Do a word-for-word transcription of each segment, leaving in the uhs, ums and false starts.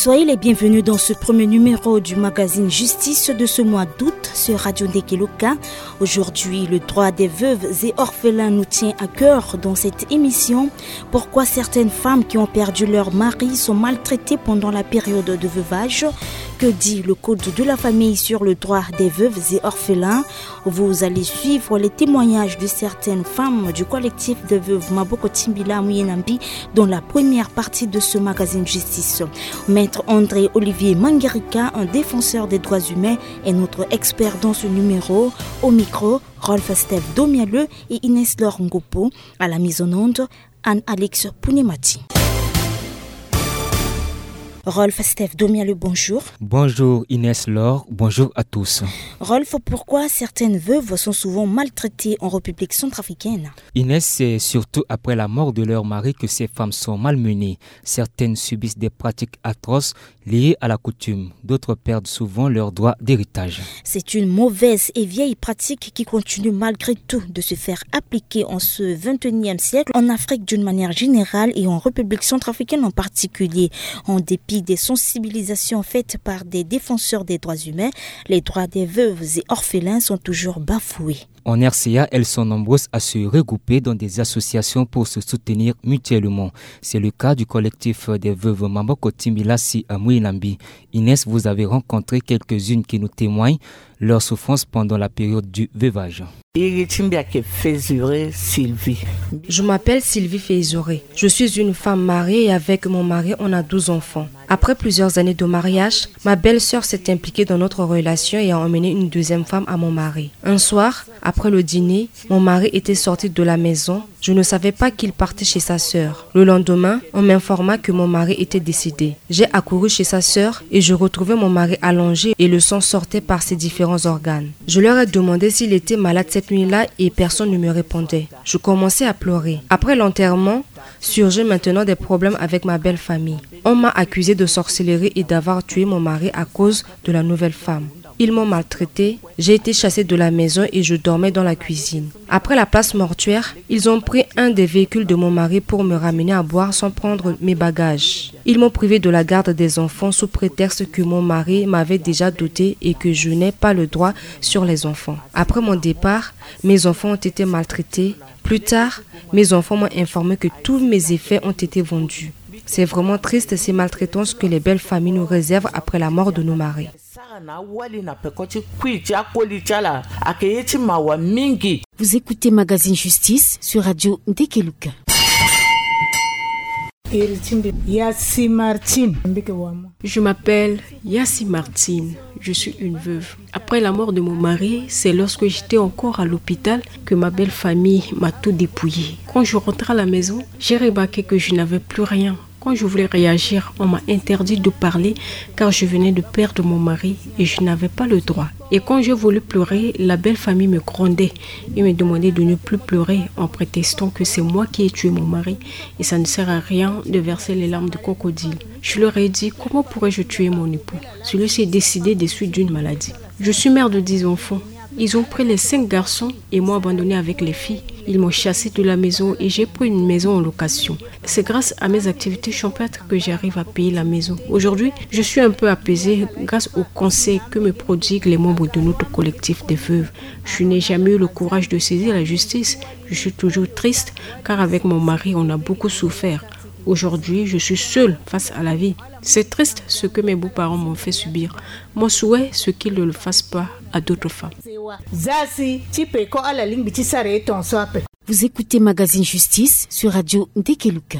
Soyez les bienvenus dans ce premier numéro du magazine Justice de ce mois d'août sur Radio Ndekeloka. Aujourd'hui, le droit des veuves et orphelins nous tient à cœur dans cette émission. Pourquoi certaines femmes qui ont perdu leur mari sont maltraitées pendant la période de veuvage ? Que dit le Code de la famille sur le droit des veuves et orphelins ? Vous allez suivre les témoignages de certaines femmes du collectif des veuves Maboko Timbila Mouyenambi dans la première partie de ce magazine Justice. Maître André Olivier Mangerika, un défenseur des droits humains, est notre expert dans ce numéro. Au micro, Rolf Steph Domialeux et Inès Laure Ngopo. À la mise en onde, Anne-Alix Pounemati. Rolf Steph Domialeux, bonjour. Bonjour Inès Laure, bonjour à tous. Rolf, pourquoi certaines veuves sont souvent maltraitées en République centrafricaine ? Inès, c'est surtout après la mort de leur mari que ces femmes sont malmenées. Certaines subissent des pratiques atroces liées à la coutume. D'autres perdent souvent leurs droits d'héritage. C'est une mauvaise et vieille pratique qui continue malgré tout de se faire appliquer en ce vingt et unième siècle, en Afrique d'une manière générale et en République centrafricaine en particulier. En dépit des sensibilisations faites par des défenseurs des droits humains, les droits des veuves et orphelins sont toujours bafoués. En R C A, elles sont nombreuses à se regrouper dans des associations pour se soutenir mutuellement. C'est le cas du collectif des veuves Maboko Timbila si à Mouilambi. Inès, vous avez rencontré quelques-unes qui nous témoignent leur souffrance pendant la période du veuvage. Je m'appelle Sylvie Feizoré. Je suis une femme mariée et avec mon mari, on a douze enfants. Après plusieurs années de mariage, ma belle-sœur s'est impliquée dans notre relation et a emmené une deuxième femme à mon mari. Un soir, après le dîner, mon mari était sorti de la maison. Je ne savais pas qu'il partait chez sa sœur. Le lendemain, on m'informa que mon mari était décédé. J'ai accouru chez sa sœur et je retrouvais mon mari allongé et le sang sortait par ses différents organes. Je leur ai demandé s'il était malade cette nuit-là et personne ne me répondait. Je commençais à pleurer. Après l'enterrement, surgit maintenant des problèmes avec ma belle-famille. On m'a accusé de sorcellerie et d'avoir tué mon mari à cause de la nouvelle femme. Ils m'ont maltraité. J'ai été chassée de la maison et je dormais dans la cuisine. Après la place mortuaire, ils ont pris un des véhicules de mon mari pour me ramener à boire sans prendre mes bagages. Ils m'ont privé de la garde des enfants sous prétexte que mon mari m'avait déjà doté et que je n'ai pas le droit sur les enfants. Après mon départ, mes enfants ont été maltraités. Plus tard, mes enfants m'ont informé que tous mes effets ont été vendus. C'est vraiment triste ces maltraitances que les belles familles nous réservent après la mort de nos maris. Vous écoutez Magazine Justice sur Radio Ndekeluka. Je m'appelle Yassi Martine. Je suis une veuve. Après la mort de mon mari, c'est lorsque j'étais encore à l'hôpital que ma belle famille m'a tout dépouillé. Quand je rentrais à la maison, j'ai remarqué que je n'avais plus rien. Quand je voulais réagir, on m'a interdit de parler car je venais de perdre mon mari et je n'avais pas le droit. Et quand j'ai voulu pleurer, la belle famille me grondait et me demandait de ne plus pleurer en prétextant que c'est moi qui ai tué mon mari et ça ne sert à rien de verser les larmes de crocodile. Je leur ai dit : « Comment pourrais-je tuer mon époux ? Celui-ci est décédé des suites d'une maladie. » Je suis mère de dix enfants. Ils ont pris les cinq garçons et m'ont abandonné avec les filles. Ils m'ont chassé de la maison et j'ai pris une maison en location. C'est grâce à mes activités champêtres que j'arrive à payer la maison. Aujourd'hui, je suis un peu apaisée grâce aux conseils que me prodiguent les membres de notre collectif des veuves. Je n'ai jamais eu le courage de saisir la justice. Je suis toujours triste car avec mon mari, on a beaucoup souffert. Aujourd'hui, je suis seule face à la vie. C'est triste ce que mes beaux-parents m'ont fait subir. Mon souhait, c'est qu'ils ne le fassent pas à d'autres femmes. Vous écoutez Magazine Justice sur Radio Ndekeluka.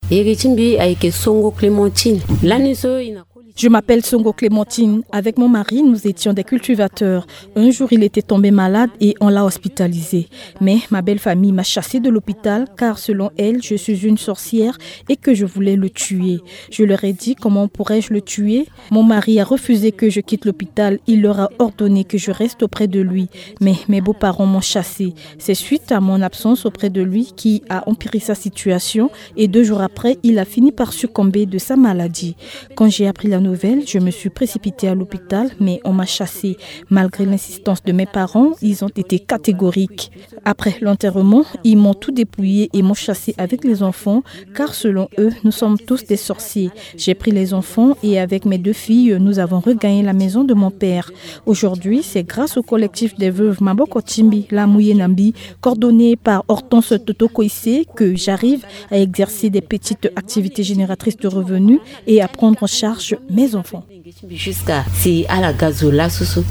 Iri ti mbi ayeke Songo Clémentine. Lani so e na koli ti. Je m'appelle Songo Clémentine. Avec mon mari, nous étions des cultivateurs. Un jour, il était tombé malade et on l'a hospitalisé. Mais ma belle-famille m'a chassée de l'hôpital car, selon elle, je suis une sorcière et que je voulais le tuer. Je leur ai dit : « Comment pourrais-je le tuer ? » Mon mari a refusé que je quitte l'hôpital. Il leur a ordonné que je reste auprès de lui. Mais mes beaux-parents m'ont chassée. C'est suite à mon absence auprès de lui qui a empiré sa situation et deux jours après, il a fini par succomber de sa maladie. Quand j'ai appris la Nouvelle, je me suis précipitée à l'hôpital, mais on m'a chassée. Malgré l'insistance de mes parents, ils ont été catégoriques. Après l'enterrement, ils m'ont tout dépouillé et m'ont chassée avec les enfants, car selon eux, nous sommes tous des sorciers. J'ai pris les enfants et avec mes deux filles, nous avons regagné la maison de mon père. Aujourd'hui, c'est grâce au collectif des veuves Maboko Timbi, la Mouye Nambi, coordonné par Hortense Toto Koissé, que j'arrive à exercer des petites activités génératrices de revenus et à prendre en charge mes enfants. Jusqu'à si à la gazola soso.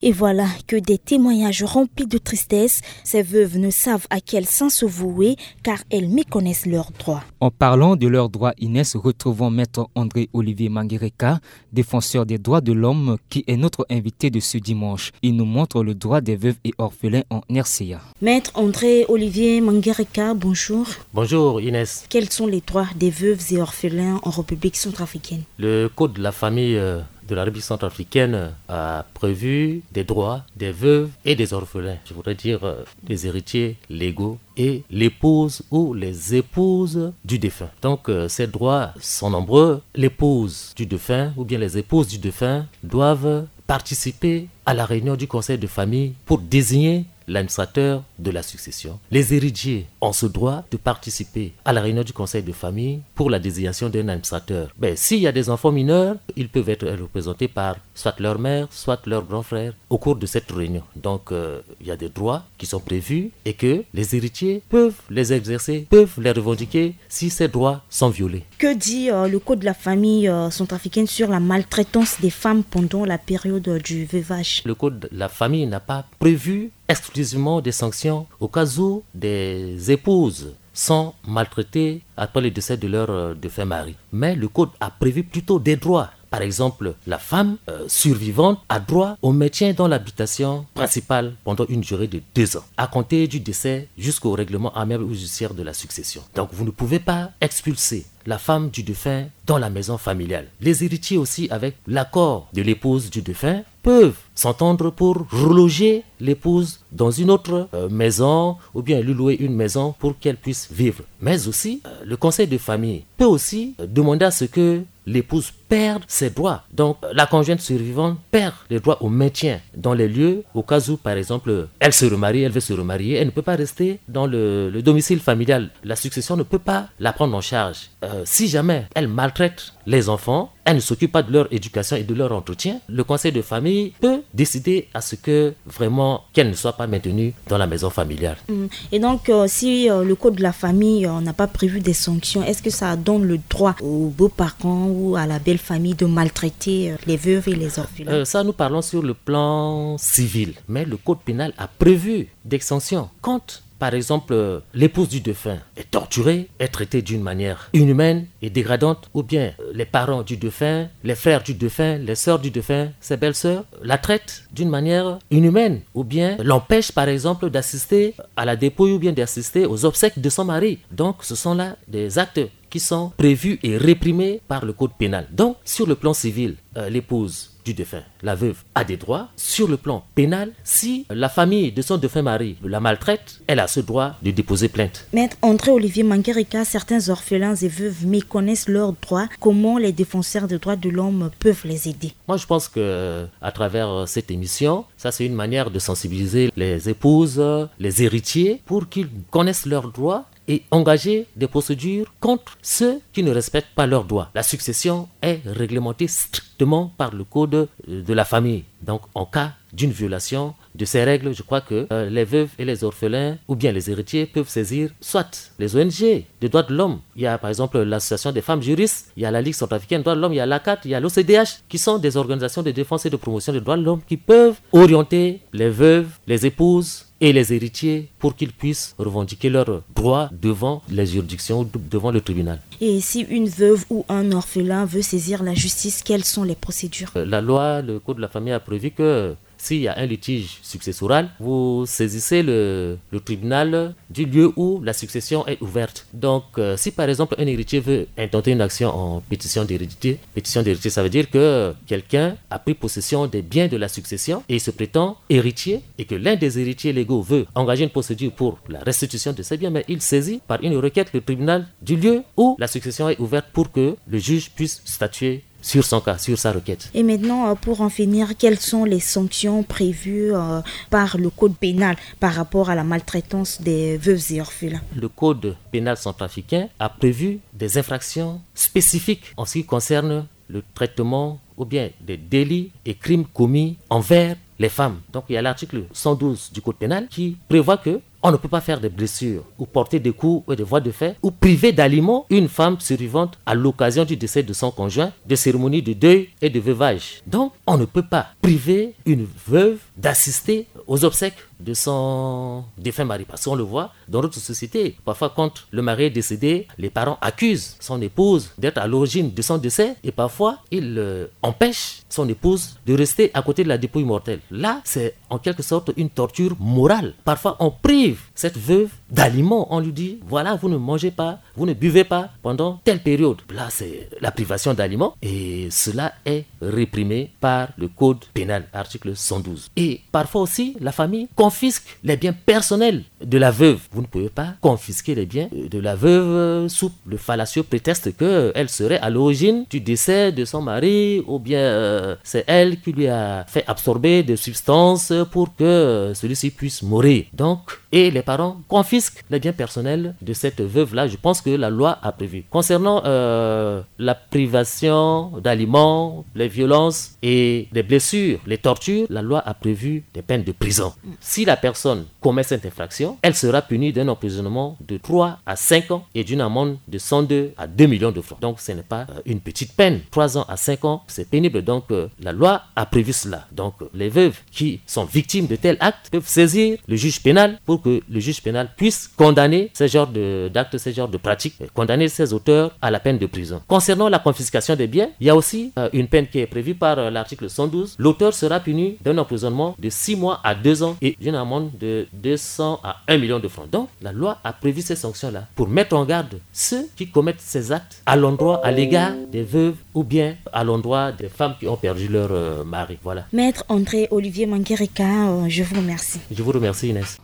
Et voilà que des témoignages remplis de tristesse. Ces veuves ne savent à quel sens se vouer, car elles méconnaissent leurs droits. En parlant de leurs droits, Inès, retrouvons Maître André Olivier Mangereka, défenseur des droits de l'homme, qui est notre invité de ce dimanche. Il nous montre le droit des veuves et orphelins en R C A. Maître André Olivier Mangereka, bonjour. Bonjour Inès. Quels sont les droits des veuves et orphelins en République centrafricaine ? Le Code de la famille, euh, de la République centrafricaine, euh, a prévu des droits des veuves et des orphelins, je voudrais dire, euh, des héritiers légaux et l'épouse ou les épouses du défunt. Donc, euh, ces droits sont nombreux. L'épouse du défunt ou bien les épouses du défunt doivent participer à la réunion du conseil de famille pour désigner l'administrateur de la succession. Les héritiers ont ce droit de participer à la réunion du conseil de famille pour la désignation d'un administrateur. Ben, s'il y a des enfants mineurs, ils peuvent être représentés par soit leur mère, soit leur grand frère au cours de cette réunion. Donc, euh, il y a des droits qui sont prévus et que les héritiers peuvent les exercer, peuvent les revendiquer si ces droits sont violés. Que dit, euh, le Code de la famille, euh, centrafricaine sur la maltraitance des femmes pendant la période, euh, du veuvage ? Le Code de la famille n'a pas prévu exclusivement des sanctions au cas où des épouses sont maltraitées après le décès de leur, euh, défunt mari. Mais le Code a prévu plutôt des droits. Par exemple, la femme, euh, survivante a droit au maintien dans l'habitation principale pendant une durée de deux ans, à compter du décès jusqu'au règlement amiable ou judiciaire de la succession. Donc, vous ne pouvez pas expulser la femme du défunt dans la maison familiale. Les héritiers aussi, avec l'accord de l'épouse du défunt, peuvent s'entendre pour reloger l'épouse dans une autre, euh, maison ou bien lui louer une maison pour qu'elle puisse vivre. Mais aussi, euh, le conseil de famille peut aussi, euh, demander à ce que l'épouse perde ses droits. Donc, euh, la conjointe survivante perd les droits au maintien dans les lieux au cas où, par exemple, elle se remarie, elle veut se remarier, elle ne peut pas rester dans le, le domicile familial. La succession ne peut pas la prendre en charge. Euh, si jamais elle maltraite les enfants, elle ne s'occupe pas de leur éducation et de leur entretien, le conseil de famille peut décider à ce que vraiment qu'elle ne soit pas maintenue dans la maison familiale. Mm. Et donc, euh, si, euh, le code de la famille, euh, n'a pas prévu des sanctions, est-ce que ça donne le droit aux beaux-parents ou à la belle-famille de maltraiter, euh, les veuves et les orphelins ? Euh, ça, nous parlons sur le plan civil. Mais le code pénal a prévu des sanctions contre, par exemple, euh, l'épouse du défunt est torturée, est traitée d'une manière inhumaine et dégradante, ou bien, euh, les parents du défunt, les frères du défunt, les sœurs du défunt, ses belles-sœurs, la traitent d'une manière inhumaine, ou bien l'empêchent, par exemple, d'assister à la dépouille ou bien d'assister aux obsèques de son mari. Donc, ce sont là des actes qui sont prévus et réprimés par le code pénal. Donc, sur le plan civil, euh, l'épouse du défunt, la veuve, a des droits. Sur le plan pénal, si la famille de son défunt mari la maltraite, elle a ce droit de déposer plainte. Maître André Olivier Mangereka, certains orphelins et veuves méconnaissent leurs droits. Comment les défenseurs des droits de l'homme peuvent les aider ? Moi, je pense que, à travers, euh, cette émission, ça, c'est une manière de sensibiliser les épouses, les héritiers, pour qu'ils connaissent leurs droits et engager des procédures contre ceux qui ne respectent pas leurs droits. La succession est réglementée strictement par le code, euh, de la famille. Donc, en cas d'une violation de ces règles, je crois que, euh, les veuves et les orphelins ou bien les héritiers peuvent saisir soit les O N G de droits de l'homme. Il y a par exemple l'association des femmes juristes, il y a la Ligue centrafricaine des droits de l'homme, il y a l'ACAT, il y a l'O C D H, qui sont des organisations de défense et de promotion des droits de l'homme qui peuvent orienter les veuves, les épouses et les héritiers pour qu'ils puissent revendiquer leurs droits devant les juridictions ou de-, devant le tribunal. Et si une veuve ou un orphelin veut saisir la justice, quelles sont les procédures ? Euh, la loi, le code de la famille a prévu que S'il y a un litige successoral, vous saisissez le, le tribunal du lieu où la succession est ouverte. Donc, euh, si par exemple un héritier veut intenter une action en pétition d'hérédité, pétition d'héritier, ça veut dire que quelqu'un a pris possession des biens de la succession et il se prétend héritier et que l'un des héritiers légaux veut engager une procédure pour la restitution de ses biens, mais il saisit par une requête le tribunal du lieu où la succession est ouverte pour que le juge puisse statuer sur son cas, sur sa requête. Et maintenant, euh, pour en finir, quelles sont les sanctions prévues, euh, par le code pénal par rapport à la maltraitance des veuves et orphelins ? Le code pénal centrafricain a prévu des infractions spécifiques en ce qui concerne le traitement ou bien des délits et crimes commis envers les femmes. Donc, il y a l'article cent douze du code pénal qui prévoit que on ne peut pas faire des blessures ou porter des coups ou des voies de fait ou priver d'aliments une femme survivante à l'occasion du décès de son conjoint, de cérémonies de deuil et de veuvage. Donc, on ne peut pas priver une veuve d'assister aux obsèques de son défunt mari. Parce qu'on le voit dans notre société. Parfois, quand le mari est décédé, les parents accusent son épouse d'être à l'origine de son décès et parfois, il, euh, empêche son épouse de rester à côté de la dépouille mortelle. Là, c'est en quelque sorte une torture morale. Parfois, on prive cette veuve d'aliments. On lui dit, voilà, vous ne mangez pas, vous ne buvez pas pendant telle période. Là, c'est la privation d'aliments et cela est réprimé par le code pénal, article cent douze. Et parfois aussi, la famille confisque les biens personnels de la veuve. Vous ne pouvez pas confisquer les biens, euh, de la veuve, euh, sous le fallacieux prétexte que, euh, elle serait à l'origine du décès de son mari ou bien, euh, c'est elle qui lui a fait absorber des substances pour que, euh, celui-ci puisse mourir. Donc, et les parents confisquent les biens personnels de cette veuve-là. Je pense que la loi a prévu. Concernant, euh, la privation d'aliments, les violences et les blessures, les tortures, la loi a prévu des peines de prison. Si la personne commet cette infraction, elle sera punie d'un emprisonnement de trois à cinq ans et d'une amende de cent deux à deux millions de francs. Donc, ce n'est pas, euh, une petite peine. Trois ans à cinq ans, c'est pénible. Donc, euh, la loi a prévu cela. Donc, euh, les veuves qui sont victimes de tels actes peuvent saisir le juge pénal pour que le juge pénal puisse condamner ces genres de, d'actes, ces genres de pratiques, euh, condamner ces auteurs à la peine de prison. Concernant la confiscation des biens, il y a aussi, euh, une peine qui est prévue par, euh, l'article cent douze. L'auteur sera puni d'un emprisonnement de six mois à deux ans et d'une amende de deux cents à un million de francs. Donc, la loi a prévu ces sanctions-là pour mettre en garde ceux qui commettent ces actes à l'endroit, à l'égard des veuves ou bien à l'endroit des femmes qui ont perdu leur, euh, mari. Voilà. Maître André Olivier Mangereka, euh, je vous remercie. Je vous remercie, Inès.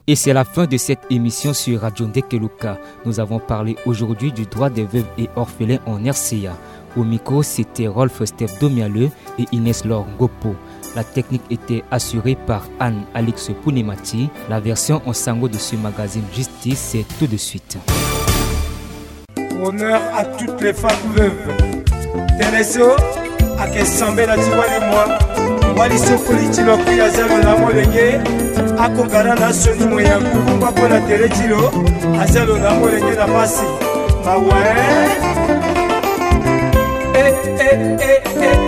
Et c'est la fin de cette émission sur Radio Ndekeluka. Nous avons parlé aujourd'hui du droit des veuves et orphelins en R C A. Au micro, c'était Rolf Steph Domialeux et Inès Laure Ngopo. La technique était assurée par Anne Alix Pounemati. La version en sango de ce magazine Justice, c'est tout de suite. Honneur à toutes les femmes veuves. Tënë so ayeke sambela ti wali moi. Wali so koli ti lo kue aza lo na amolenge. Akokara na sioni mo ya ngu kungba mpo na tere ti lo. Aza lo na amolenge na pasi. Mawa, eh. Eh, eh, eh, eh.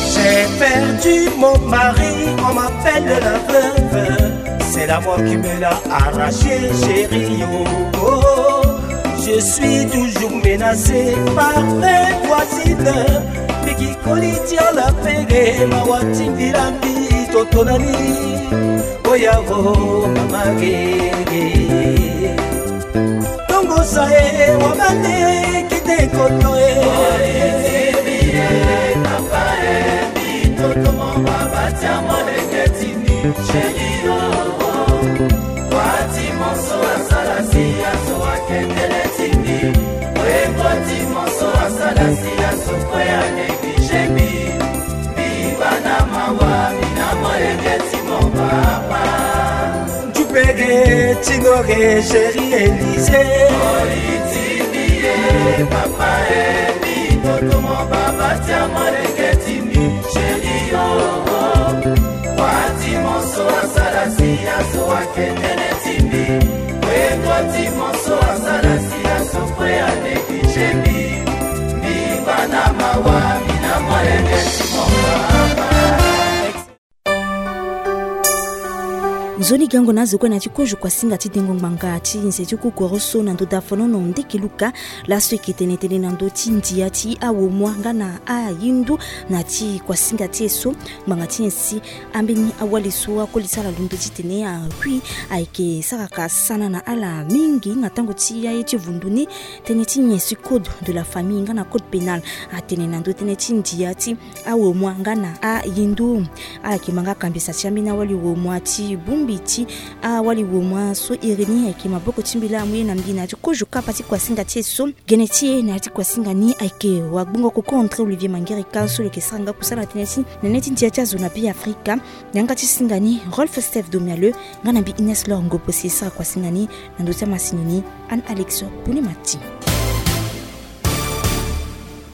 J'ai perdu mon mari, on m'appelle la veuve. C'est la mort qui me l'a arraché, chérie, oh, oh. Je suis toujours menacée par mes voisines. Piki koli ti ala pege, mawa ti mbi la mbi, toto nani. Oya vo mama gege. Tongo sa e, wabale kite koto e. Chérie, oh, oh. Wati monso asala si azo akendele ti mbi. Weko ti monso asala si azo kue anéglige mbi. Mbi bana mawa, mbi na molenge ti mon papa. Jupege ti noge, chérie Élysée. Oli ti mbi e, papa e, mbi toto mon baba ti amolenge ti mbi. Chérie, oh, oh. Wati monso asala si azo akendele ti mbi. Weko ti monso asala si azo kue anéglige mbi. Mbi bana mawa, mbi na molenge ti mon papa. Nzoni gango na azo kue na ya ti kozo kuasinga ti dengo ngbanga ti nze ti kukoro so na ndo dafanono ndeke luka. Laso eke tene tënë na ndö ti ndia ti awomua nga na ayindu. Na ti kuasinga ti e so, ngbanga ti nyen si ambeni awali so akoli ti ala londo titene akui, ayeke saraka sana na ala mingi na tango ti aye ti vundu ni. Tënë ti nyen si code de la famille nga na code pénal atene na ndö tënë ti ndia ti awomua nga na ayindu? Ala yeke ma nga kambisa ti ambeni awali womua ti bongbi ti awali womua so iri ni ayeke maboko ti mbi laa amu ye na mbi na ya ti kozo kapa ti kuasinga ti e so. Gene ti e na ya ti kuasinga ni ayeke wagbongo koko André Olivier Mangerika so lo yeke sara nga kusala tënë ti nene ti ndia ti azo na Be Afrika. Yanga ti singa ni Rolf Steph Domialeux nga na mbi Ines Lor Ngopo si e sara kuasinga ni na ndö ti amasini ni Anne Alex Bonemati.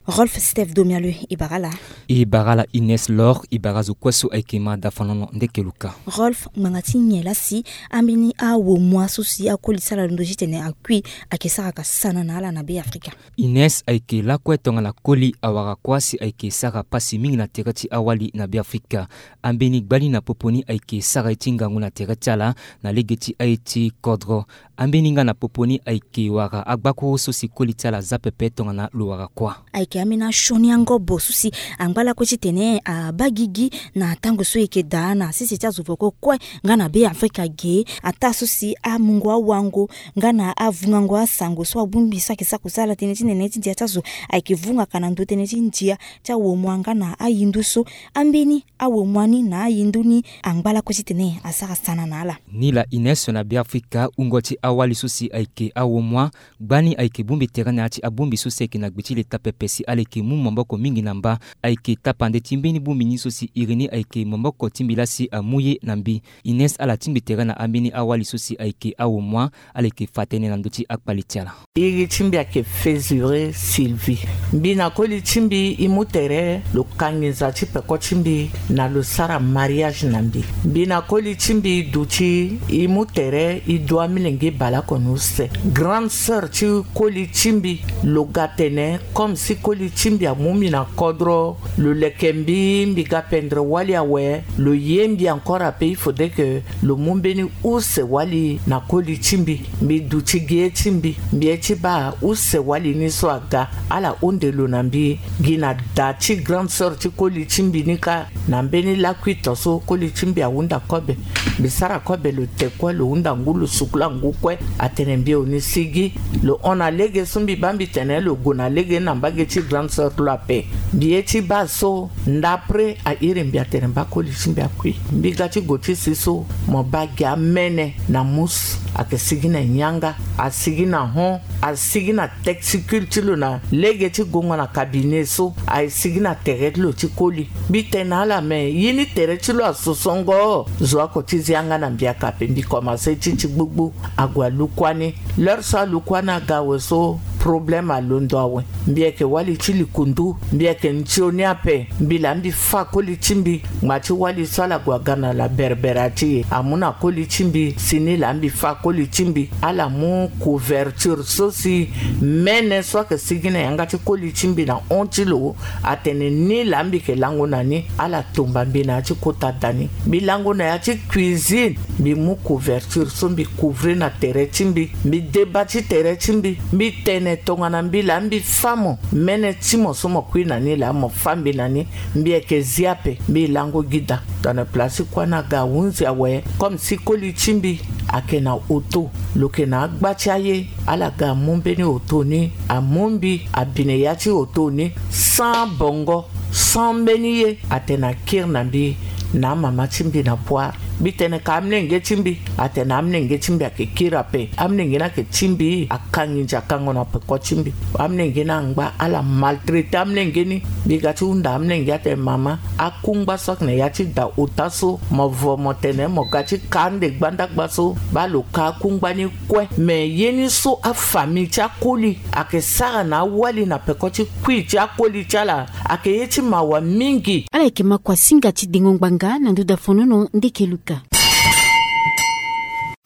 Rolf Steph Domialeux, e bara ala. E bara ala Ines Lor, e bara azo kue so ayeke ma dafanono ndeke luka. Rolf, ngbanga ti nyen laa si ambeni awomua so si akoli ti ala londo titene akui ayeke saraka sana na ala na Be Afrika? Ines, ayeke lakue tongana koli awara kuâ si ayeke sara pasi mingi na tere ti awali na Be Afrika. Ambeni gbani na popo ni ayeke sara ye ti ngangu na tere ti ala na lege ti aye ti kodro. Ambeni nga na popo ni ayeke wara agbakuru so si koli ti ala za pepe tongana lo wara kuâ. Ayeke ambeni asioni angobo so si angba lakue titene abaa gigi na tango so e yeke daa na sese ti azo voko kue nga na Be Afrika ge. Ataa so si amungo awango nga na avungango asango so abongbi so ayeke sara kusala tënë ti nene ti ndia ti azo ayeke vungaka na ndö tënë ti ndia ti awomua nga na ayindu so. Ambeni awomua ni na ayindu ni angba lakue titene asara sana na ala. Ni laa Ines, na Be Afrika, wungo ti awali so si ayeke awomua, gbani ayeke bongbi tere na ya ti abongbi so si ayeke na gbe ti leta pepe si ala yeke mu maboko mingi na mba. Ayeke tapande ti mbeni bongbi ni so si iri ni ayeke maboko ti mbi laa si amu ye na mbi. Ines, ala tingbi tere na ambeni awali so si ayeke awomua, ala yeke fa tënë na ndö ti akpali ti ala. Iri ti mbi ayeke Fezure Sylvie. Mbi na koli ti mbi e mu tere lo ka nginza ti peko ti mbi na lo sara mariage na mbi. Mbi na koli ti mbi e duti e mu tere e du amilenge baleoko ni use. Grande sœur ti koli ti mbi lo ga tene comme si koli ti mbi amu mbi na kodro, lo leke mbi, mbi ga pendre wali awe, lo ye mbi encore ape, il faudrait que lo mu mbeni use wali na koli ti mbi. Mbi duti gi ye ti mbi, mbi ye ti baa use wali ni so aga, ala hunde lo na mbi. Gi na da ti grande sœur ti koli ti mbi ni kâ, na mbeni lakuito so koli ti mbi ahunda kobe. Mbi sara kobe, lo te kue, lo hunda ngu, lo sukula ngu kue. Atene mbi eo ni sigi, lo hon na lege so mbi baa, mbi tene lo gue na lege na mbage ti grande sœur ti lo ape. Mbi ye ti baa so, ndapre a iri mbi atene baa koli ti mbi akui. Mbi ga ti gue ti si so, mo baa gi amene na mus, ayeke sigi na nyanga, asigi na hon, asigi na testicule ti lo na lege ti gongo na cabinet so, aye sigi na tere ti lo ti koli. Mbi tene na ala me, ye ni tere ti lo asosongo. Zo oko ti zia nga na mbi aka ape, mbi komanse ti ti gbugbu. Ague alu kuâ ni. L'heure so alu kuâ ni aga awe so, problème alondo awe. Mbi yeke wali ti likundu, mbi yeke nzoni ape. Mbi laa mbi fâ koli ti mbi. Ngba ti wali so ala gue aga na la Berbera ti e, amu na koli ti mbi si ni laa mbi fâ koli ti mbi. Ala mu couverture so si mene so ayeke sigi na yanga ti koli ti mbi na hon ti lo. Atene ni laa mbi yeke lango na ni. Ala tumba mbi na ya ti kota da ni. Mbi lango na ya ti cuisine. Mbi mu couverture so mbi couvrir na tere ti mbi. Mbi deba ti tere ti mbi. Mbi tene tongana mbi laa mbi fâ mo, mene ti mo so mo kui na ni laa mo fâ mbi na ni. Mbi yeke zi ape, mbi lango gi da. Tongana place ti kuâ ni aga ahunzi awe, comme si koli ti mbi ayeke na auto. Lo yeke na agba ti aye, ala ga amu mbeni auto ni, amu mbi, abine ya ti auto ni, sans bongo, sans mbeni ye. Atene akiri na mbi na amama ti mbi na Poire. Mbi tene ka amolenge ti mbi. Atene amolenge ti mbi ayeke kiri ape. Amolenge ni ayeke ti mbi, akangi nze akango na peko ti mbi. Amolenge ni angba, ala maltraité amolenge ni. Mbi ga ti hunda amolenge atene mama, akungba so ayeke na ya ti da ota so, mo vo mo tene mo ga ti ka ande gbandagba so, baa lo ka akungba ni kue. Me ye ni so afamille ti akoli ayeke sara na awali na peko ti kui ti akoli ti ala, ayeke ye ti mawa mingi. Ala yeke ma kuasinga ti dengo ngbanga na nduda fonono ndeke luka.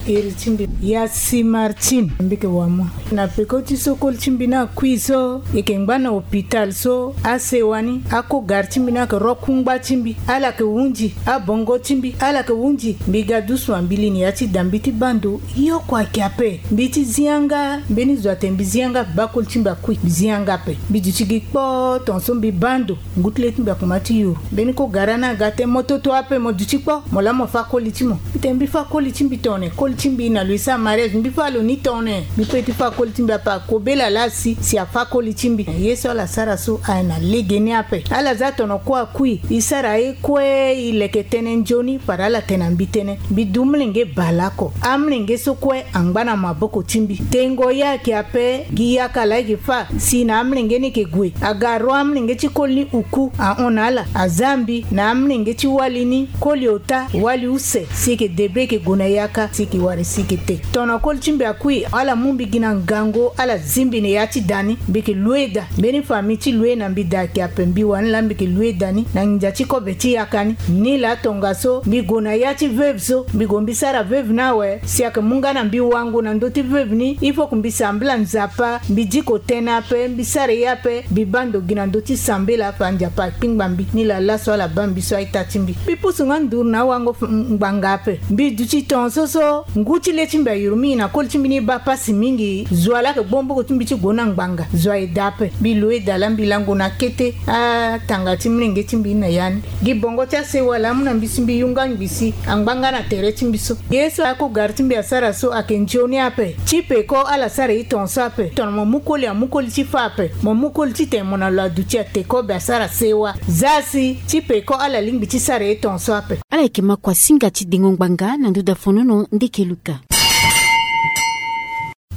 Iri ti mbi ya si Martine, mbi yeke wamû. Na peko ti so koli ti mbi ni akui so, e yeke ngba na hôpital so, asewa ni, akogari ti mbi ni ayeke ro kungba ti mbi, ala yeke hunzi abongo ti mbi, ala yeke hunzi. Mbi ga dusu, mbi li na ya ti da mbi ti baa ndo, ye oko ayeke ape. Mbi ti zi yanga, mbeni zo atene mbi zi yanga, baa koli ti mbi akui, mbi zi yanga ape. Mbi duti gi kpoo, tongaso mbi baa ndo, ngu ti le ti mbi akomanse ti yuru. Mbeni kogara ni aga tene mo toto ape, mo duti kpoo, mo laa mo fâ koli ti mo. Mbi tene mbi fâ koli ti mbi tongana nyen? Koli ti mbi na lo e sara mariage, mbi fâ lo ni tongana nyen? Mbi pe ti fâ koli ti mbi ape, akobela laa si, si afâ koli ti mbi. Ye so ala sara so aye na legeni ape. Ala zia tono kue akui, e sara ye kue, e leke tënë nzoni, fade ala tene na mbi tënë. Mbi du molenge bale oko. Amolenge so kue angba na maboko ti mbi. Tengo ye ayeke ape, gi yaka laa e yeke fâ, si na amolenge ni e yeke gue. Aga ro amolenge ti koli ni uku, ahon na ala, azia mbi na amolenge ti wali ni, koli ota, wali use, si e yeke débrouiller, e yeke gue na yaka, si e yeke wara si e yeke te. Tono koli ti mbi akui, ala mû mbi gi na ngangu, ala zi mbi na ya ti da ni, mbi yeke loue da. Mbeni famille ti loue na mbi da ayeke ape, mbi wani laa mbi yeke loue da ni, na nginza ti kobe ti yaka ni. Ni laa tongaso, mbi gue na ya ti veuve so, mbi gue mbi sara veuve ni awe, si ayeke mû nga na mbi wango na ndö ti veuve ni, il faut que mbi sambela Nzapa, mbi diko tënë ape, mbi sara ye ape, mbi baa ndo gi na ndö ti sambela, fa Nzapa akpingba mbi, ni laa laso ala baa mbi so aita ti mbi. Mbi pusu nga nduru na awango f-, ngbanga ape. Mbi duti tongaso so, ngu ti le ti mbi ayuru mingi na koli ti mbi ni baa pasi mingi, zo laa ayeke gbo maboko ti mbi ti gue na ngbanga, zo aye daa ape. Mbi loue da laa mbi lango na kete, atanga ti molenge ti mbi ni na ya ni. Gi bongo ti asewa laa amû na mbi si mbi yunga ngbi si angba nga na tere ti mbi so. Ye so akogari ti mbi asara so ayeke nzoni ape. Ti peko ala sara e tongaso ape. Tono mo mû koli, amû koli ti fâ ape. Mo mû koli titene mo na lo aduti ate kobe asara sewa. Zia si ti peko ala lingbi ti sara e tongaso ape. Ala yeke ma kua singa ti dengo ngbanga na ndö da fonono ndeke luka.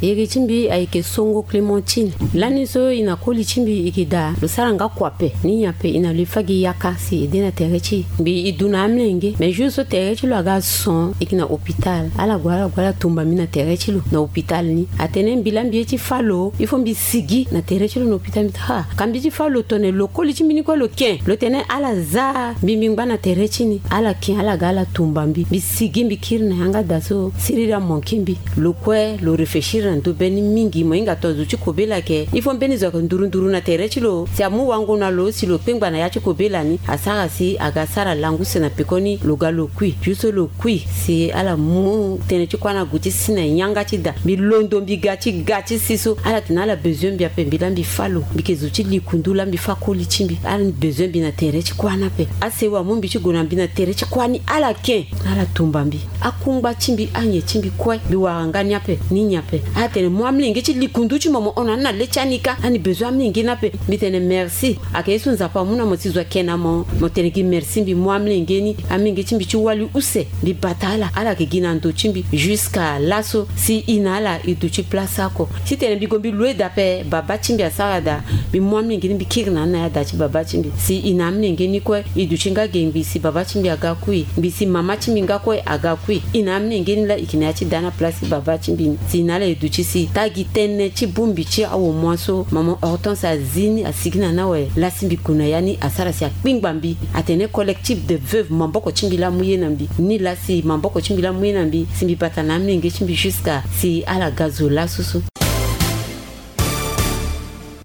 Iri ti mbi ayeke Songo Clémentine. Lani so e na koli ti mbi e yeke daa, lo sara nga kua ape. Ni nyen ape? E na lo e fâ gi yaka si e de na tere ti e. Mbi e du na amolenge, mais jour so tere ti lo aga son, e yeke na hôpital. Ala gue, ala gue, ala tumba mbi na tere ti lo na hôpital ni. Atene mbi laa mbi ye ti fâ lo, il faut mbi sigi na tere ti lo na hôpital. Mbi tene ha, ka mbi ti fâ lo tongana nyen? Lo koli ti mbi ni kue lo ken. Lo tene ala zia mbi, mbi ngba na tere ti ni. Ala ken, ala ga, ala tumba mbi. Mbi sigi, mbi kiri na yanga daa so, siriri amanke mbi. Lo kue lo réfléchir na ndö be ni mingi. Mo hinga tongana zo ti kobela ayeke, il faut mbeni zo ayeke nduru nduru na tere ti lo, si amû wango na lo, si lo kpengba na ya ti kobela ni, asara si aga sara langu use na pekoni lo ga lo kui. Ju so lo kui, si ala mû tënë ti kuâ ni ague ti si na yanga ti da. Mbi londo, mbi ga ti ga ti si so. Ala tene ala besoin mbi ape, mbi laa mbi fâ lo. Mbi yeke zo ti likundu, laa mbi fâ koli ti mbi. Ala ni besoin mbi na tere ti kuâ ni ape. Asewa amû mbi ti gue na mbi na tere ti kuâ ni, ala ken. Ala tumba mbi. Akungba ti mbi, anyen ti mbi kue, mbi wara nga ni ape. Ni nyen ape? Ala tene mû amolenge ti likundu ti mo, mo hon na ni na le ti ani kâ, ani besoin amolenge ni ape. Mbi tene merci. Ayeke ye so Nzapa amû na mo si zo ake na mo, mo tene gi merci. Mbi mû amolenge ni, amolenge ti mbi ti wali use, mbi bata ala, ala yeke gi na ndo ti mbi jusqu'à laso si e na ala e duti place oko. Titene mbi gue mbi loue da ape, baba ti mbi asara daa, mbi mû amolenge ni, mbi kiri na ni na ya da ti baba ti mbi. Si e na amolenge ni kue, e duti nga ge ngbii si baba ti mbi aga kui, ngbii si mama ti mbi nga kue aga kui. E na amolenge ni laa e yeke na ya ti da na place ti baba ti mbi ni. Si e na ala e duti si, taa gi tënë ti bongbi ti awomua so mama Hortense azi ni, asigi na ni awe, laa si mbi gue na ya ni, asara si akpingba mbi. Atene collectif des veuves, maboko ti mbi laa amû ye na mbi. Ni laa si maboko ti mbi laa amû ye na mbi, si mbi bata na amolenge ti mbi jusqu'à si ala ga zo laso so.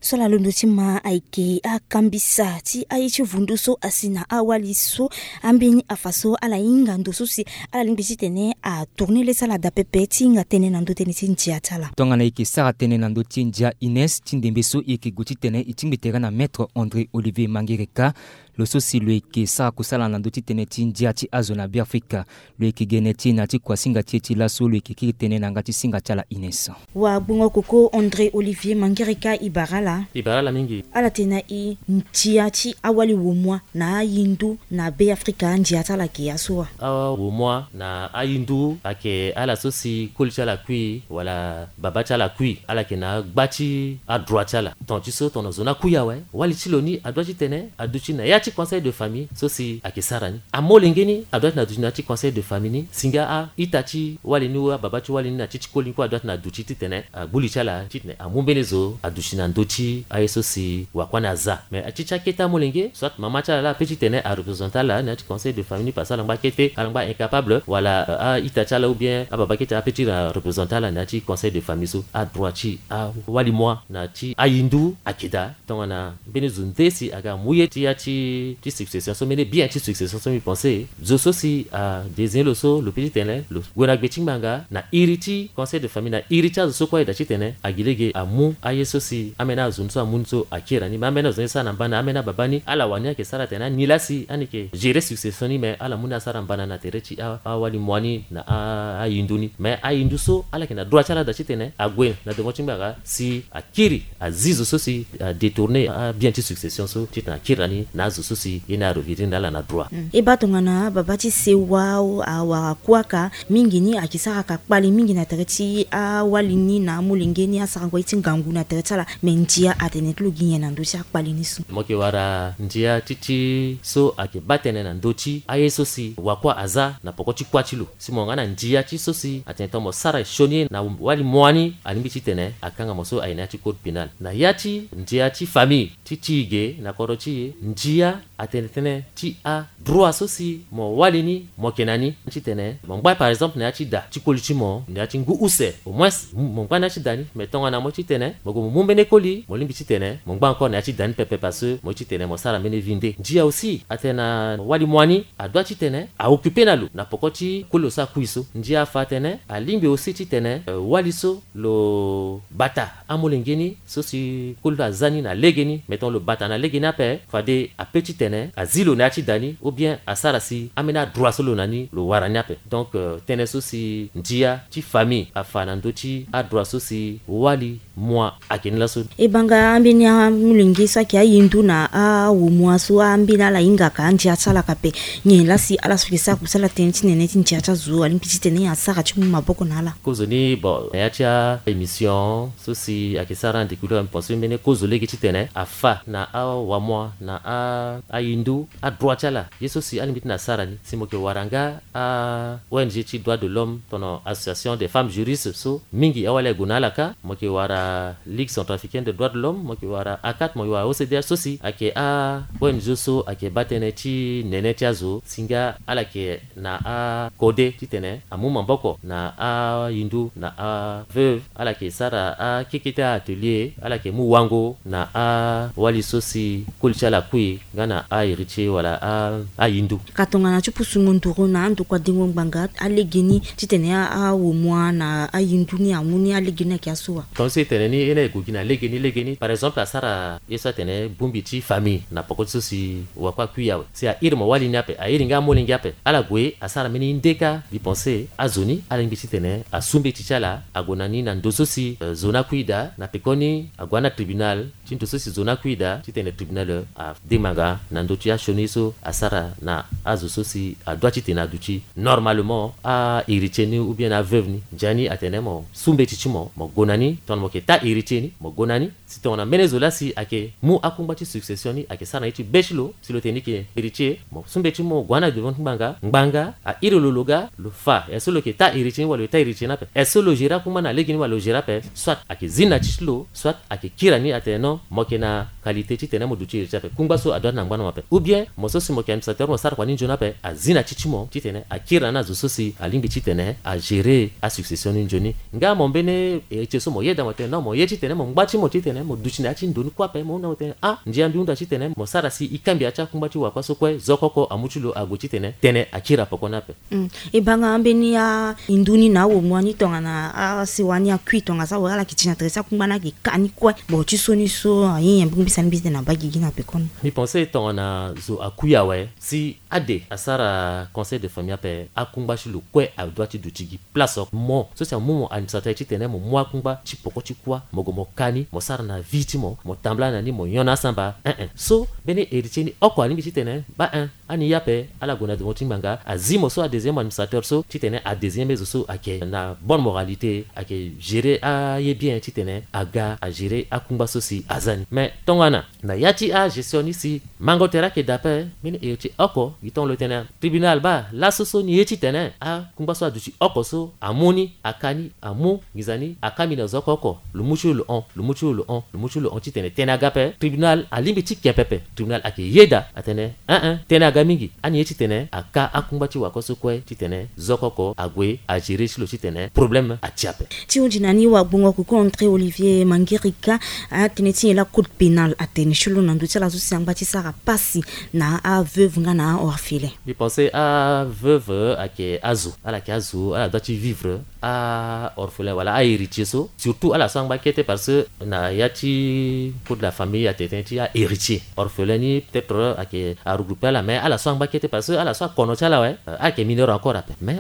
So ala londo ti ma ayeke akambisa ti aye ti vundu so asi na awali so, ambeni afa so ala hinga ndo so si ala lingbi titene atourne le ti ala daa pepe ti hinga tënë na ndö tënë ti ndia ti ala. Tongana e yeke sara tënë na ndö ti ndia Ines, ti ndembe so e yeke gue titene e tingbi tere na Maître André Olivier Mangereka. Lo so si lo yeke sara kusala na ndö ti tënë ti ndia ti azo na Beafrika. Lo yeke gene ti e na ti kuasinga ti e ti laso, lo yeke kiri tënë na yanga ti singa ti ala Ines. Wagbongo koko André Olivier Mangereka, e bara ala. E bara ala mingi. Ala tene na e ndia ti awali womua na ahindu na Beafrika, ndia ti ala ayeke ya so wa? Awomua na ahindu ayeke ala so si koli ti ala kui wala baba ti ala kui, ala yeke na agba ti adroit ti ala. Ton ti so tongana zo ni akui awe, wali ti lo ni adoit titene aduti na ya ti conseil de famille so si ayeke sara ni. Amolenge ni adoit ti na duti na ya ti conseil de famille ni, si nga a-ita ti wali ni ou ababa ti wali ni na ti ti koli ni kue adoit ti na duti titene agbu li ti ala titene amu mbeni zo aduti na ndö ti aye so si wakua ni aza. Mais ti ti akete amolenge, soit mama ti ala la ape titene arepresente ala na ya ti conseil de famille ni parce que ala ngba kete, ala ngba incapable, wala, euh, a-ita ti ala ou bien ababa kete ape ti represente ala na ya ti conseil de famille so. Adroit ti awali mua na ti ahindu ayeke daa. Tongana mbeni zo nde si aga mu ye ti ya ti, ti succession so, mbeni bien ti succession so, mbi pense zo so si adésigné lo so, lo peut titene lo gue na gbe ti ngbanga na iri ti conseil de famille, na iri ti azo so kue ayeda titene agi lege amu aye so si ambeni azo ni so amu ni so akiri na ni. Me ambeni azo ni sara na mbana, ambeni ababa ni, ala wani ayeke sara atene ani laa si ani yeke gérer succession ni, me ala mu ni asara mbana na tere ti a, awali mua ni na a, ahindu ni. Me ahindu so ala yeke na droit ti ala daa titene ague na devant ti ngbanga si akiri azi zo so si adétourner abien ti succession so titene akiri na ni na azo so si ye ni arevenir na ala na droit. Mm. E baa tongana ababa ti sewa awara kuâ ka mingi ni ayeke sara ka kpali mingi na tere ti awali ni na amolenge ni asarango ye ti ngangu na tere ti ala. Me ndia atene ti lo gi nyen na ndö ti akpali ni so? Mo yeke wara ndia ti ti so ayeke baa tënë na ndö ti aye so si wakua aza na poko ti kuâ ti lo. Si mo yanga na ndia ti so si atene tongana mo sara sioni na wali mua ni, alingbi titene akanga mo so aye na ya ti code pénal. Na ya ti ndia ti famille ti ti e ge na kodro ti e, ndia atene tënë ti adroit so si mo wali ni mo yeke na ni titene mo ngba par exemple na ya ti da ti koli ti mo na ya ti ngu use, au moins mo ngba na ya ti da ni. Me tongana mo titene mo gue mo mu mbeni koli, mo lingbi titene mo ngba encore na ya ti da ni pepe parce que mo ye titene mo sara mbeni vie nde. Ndia aussi atene na wali mua ni adoit titene aoccuper na lo na poko ti koli lo so akui so. Ndia afa atene alingbi aussi titene, euh, wali so lo bata amolenge ni so si koli lo aza ni na legeni, me tongana lo bata na legeni ape, fade apeut titene azi lo na ya ti da ni ou bien asara si ambeni adroit so lo na ni lo wara ni ape. Donc, euh, tënë so si ndia ti famille afa na ndö ti adroit so si wali mua ayeke ni laso. E baa nga ambeni amolenge so ayeke ahindu na awomua so ambeni ala hingaka andia ti ala ka ape. Nyen laa si ala so yeke sara kusala tënë ti nene ti ndia ti azo alingbi titene asara ti mu maboko na ala? Kozoni, bon, na ya ti a-émission so si ayeke sara na ndeki lo, mbi pense mbeni kozo lege titene afa na awamua na a-, ahindu adroit ti ala. Ye so si alingbi titene asara ni, si mo yeke wara nga a-O N G ti droit de l'homme, tongana Association des femmes juristes so, mingi awali ague na ala kâ. Mo yeke wara Ligue centrafricaine des droits de l'homme, mo yeke wara ACAT, mo yeke wara O C D H so si ayeke a-O N G so ayeke baa tënë ti nene ti azo, si nga ala yeke na akode titene amu maboko na ahindu na aveuve. Ala yeke sara akekete a-atelier, ala yeke mu wango na awali so si koli ti ala akui nga na ahéritier wala a, ahindu. Ka tongana ti pusungo nduru na andokua dengo ngbanga, alege ni titene a, awomua na ahindu ni amu ni, alege ni ayeke aso wa? Tongaso e tene ni, ye ni aye gue gi na lege ni, lege ni. Par exemple, asara ye so atene bongbi ti famille na poko ti so si wakua akui awe. Si a iri mo wali ni ape, a iri nga amolenge ape. Ala gue asara mbeni nde kâ, mbi pense azo ni ala lingbi titene asu mbeti ti ala ague na ni na ndo so si, euh, zo ni akui daa, na pekoni ague na tribunal ti ndo so si zo ni akui daa, titene tribunal, euh, ademanga na ndö ti asioni so asara na azo so si adoit titene aduti normalement ahéritier ni ou bien aveuve ni. Ndia ni atene mo su mbeti ti mo, mo gue na ni, tongana mo yeke taa héritier ni, mo gue na ni. Si tongana mbeni zo laa si ayeke mu akungba ti succession ni, ayeke sara na ye ti be ti lo, si lo tene ni yeke héritier, mo su mbeti ti mo gue na devant ti ngbanga, ngbanga a iri lo, lo ga, lo fa. Est-ce que lo yeke taa héritier ni wala lo yeke taa héritier ni ape? Est-ce que lo gérer akungba na lege ni wala lo gérer ape? Soit ayeke zi na ti ti lo, soit ayeke kiri na ni atene non, mo yeke na qualité titene mo duti héritier ape. Kungba so adoit ti na ngba na mo ape. Ou bien mo so si mo yeke administrateur, mo sara kua ni nzoni ape, azi na ti ti mo titene akiri na ni na zo so si alingbi titene agérer asuccession ni nzoni. Nga mo mbeni héritier so mo yeda mo tene non, mo ye titene mo ngba ti mo titene mo duti na ya ti ndo ni kue ape, mo hunda mo tene ah, ndia mbi hunda titene mo sara si e kangbi ya ti akungba ti wakua so kue, zo oko oko amu ti lo ague titene tënë akiri na poko ni ape. Mm. E baa nga ambeni ahindu ni na awomua ni tongana asewa ni akui tongana so awe, ala yeke ti na tere ti akungba ni ayeke ka ni kue. Bon, ti so ni so, aye nyen mbeni mbisani mbi tene na baa gigi na pekoni? Mbi pense tongana zo akui awe, si ade asara conseil de famille ape, akungba ti lo kue adoit ti duti gi place oko. Mo so si amu mo administrateur titene mo mu akungba ti poko ti kuâ, mo gue mo ka ni, mo sara na vie ti mo, mo tambula na ni, mo nyon na asamba. Ein ein. So mbeni héritier ni oko alingbi titene baa ein, ani ye ape, ala gue na devant ti ngbanga, azi mo so adésigné mo administrateur so titene adésigné mbeni zo so ayeke na bonne moralité, ayeke gérer aye bien titene aga agérer akungba so si aza ni. Mais tongana na ya ti agestion ni si Mango tere ayeke daa ape. Mbeni héritier oko gi tongana lo tene tribunal baa laso so ni ye titene akungba so aduti oko so amu ni, aka ni, amu nginza ni, aka mbi na zo oko oko, lo mu ti lo lo hon, lo mu ti lo lo hon, lo mu ti lo lo hon titene tënë aga ape. Tribunal alingbi ti ke pepe. Tribunal ayeke yeda atene, eh eh, tënë aga mingi. Ani ye titene aka akungba ti wako so kue titene zo oko oko ague agérer ti lo titene problème atia ape. Ti hunzi na ni wagbongo koko André Olivier Mangirika, atënë ti nyen laa code pénal atene ti lo na ndö ti ala so si angba ti sara pasi na aveuve nga na aorphelin? Mbi pense aveuve ayeke azo, ala yeke azo, ala doit ti vivre. Aorphelin wala ahéritier so, surtout ala so angba kete, parce que na ya ti code de la famille atene tënë ti ahéritier. Orphelin ni peut-être ayeke aregroupe ala, mais ala so angba kete parce que ala so akono ti ala awe, euh, ayeke mineur encore ape, mais